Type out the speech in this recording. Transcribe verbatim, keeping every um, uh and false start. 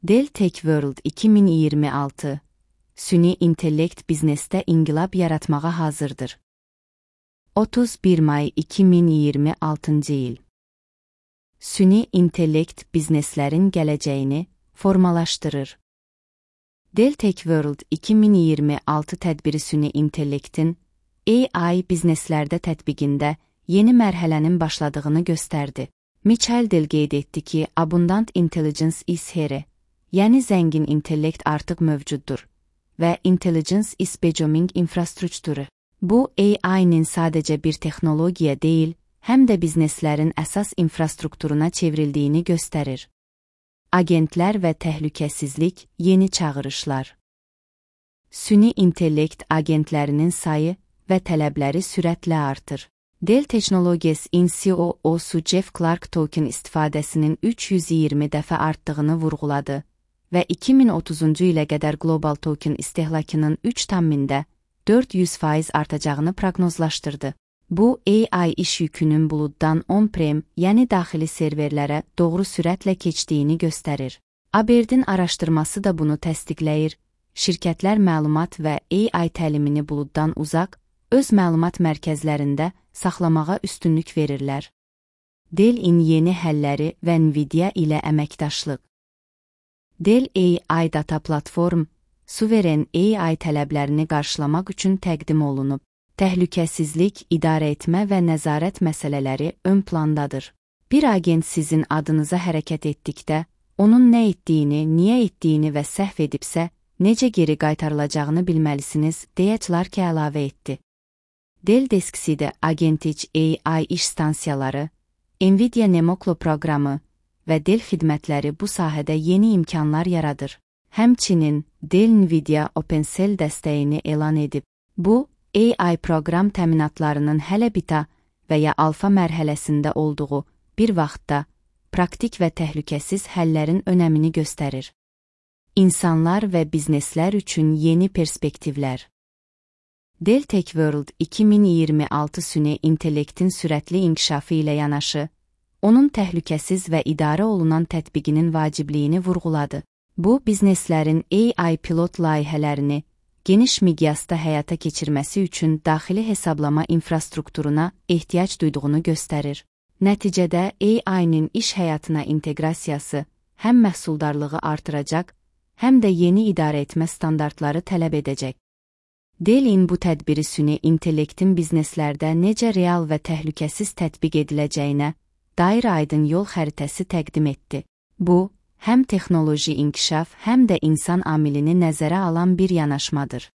Dell Tech World iki min iyirmi altı Süni intellekt biznesdə inqilab yaratmağa hazırdır. otuz bir may iki min iyirmi altıncı il. Süni intellekt bizneslərin gələcəyini formalaşdırır. Dell Tech World iki min iyirmi altı tədbiri süni intellektin A I bizneslərdə tətbiqində yeni mərhələnin başladığını göstərdi. Michael Dell qeyd etdi ki, Abundant Intelligence is here, yəni zəngin intellekt artıq mövcuddur və Intelligence is becoming infrastructure. Bu, A I-nin sadəcə bir texnologiya deyil, həm də bizneslərin əsas infrastrukturuna çevrildiyini göstərir. Agentlər və təhlükəsizlik, yeni çağırışlar. Süni intellekt agentlərinin sayı və tələbləri sürətlə artır. Dell Technologies-in C E O-su Jeff Clarke token istifadəsinin üç yüz iyirmi dəfə artdığını vurğuladı və iki min otuzuncu ilə qədər global token istehlakının üç tam mində dörd yüz faiz artacağını proqnozlaşdırdı. Bu, A I iş yükünün buluddan on-prem, yəni daxili serverlərə doğru sürətlə keçdiyini göstərir. Aberdin araşdırması da bunu təsdiqləyir. Şirkətlər məlumat və A I təlimini buluddan uzaq, öz məlumat mərkəzlərində saxlamağa üstünlük verirlər. Dell-in yeni həlləri və Nvidia ilə əməkdaşlıq. Dell A I Data Platform, suveren A I tələblərini qarşılamaq üçün təqdim olunub. Təhlükəsizlik, idarə etmə və nəzarət məsələləri ön plandadır. Bir agent sizin adınıza hərəkət etdikdə, onun nə etdiyini, niyə etdiyini və səhv edibsə, necə geri qaytarılacağını bilməlisiniz, deyə Clarke əlavə etdi. Dell Deskseed Agentic A I iş stansiyaları, Nvidia Nemoklo proqramı və Dell xidmətləri bu sahədə yeni imkanlar yaradır. Həmçinin, Dell Nvidia OpenCell dəstəyini elan edib. Bu, A I proqram təminatlarının hələ beta və ya alfa mərhələsində olduğu bir vaxtda praktik və təhlükəsiz həllərin önəmini göstərir. İnsanlar və bizneslər üçün yeni perspektivlər. Dell Tech World iki min iyirmi altı süni intellektin sürətli inkişafı ilə yanaşı, onun təhlükəsiz və idarə olunan tətbiqinin vacibliyini vurğuladı. Bu, bizneslərin A I pilot layihələrini geniş miqyasda həyata keçirməsi üçün daxili hesablama infrastrukturuna ehtiyac duyduğunu göstərir. Nəticədə A I-nin iş həyatına inteqrasiyası həm məhsuldarlığı artıracaq, həm də yeni idarə etmə standartları tələb edəcək. Dell-in bu tədbiri süni intellektin bizneslərdə necə real və təhlükəsiz tətbiq ediləcəyinə dair aydın yol xəritəsi təqdim etdi. Bu, həm texnoloji inkişaf, həm də insan amilini nəzərə alan bir yanaşmadır.